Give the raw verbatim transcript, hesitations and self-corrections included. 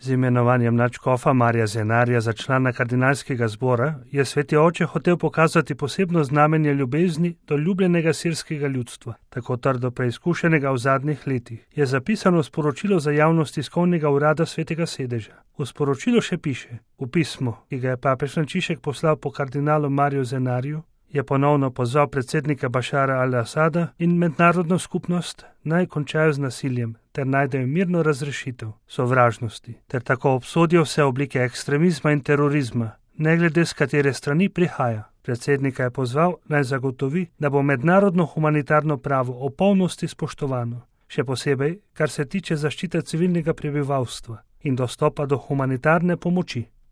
Z imenovanjem nadškofa Marija Zenarja za člana kardinalskega zbora je sveti oče hotel pokazati posebno znamenje ljubezni do ljubljenega sirskega ljudstva, tako trdo preizkušenega v zadnjih letih, je zapisano v sporočilu za javnost tiskovnega urada svetega sedeža. V sporočilu še piše: v pismu, ki ga je papež Frančišek poslal po kardinalu Mariju Zenarju, je ponovno pozval predsednika Bašara al-Asada in mednarodno skupnost naj končajo z nasiljem ter najdejo mirno razrešitev sovražnosti, ter tako obsodijo vse oblike ekstremizma in terorizma, ne glede z katere strani prihaja. Predsednika je pozval naj zagotovi, da bo mednarodno humanitarno pravo o polnosti spoštovano, še posebej, kar se tiče zaščite civilnega prebivalstva in dostopa do humanitarne pomoči.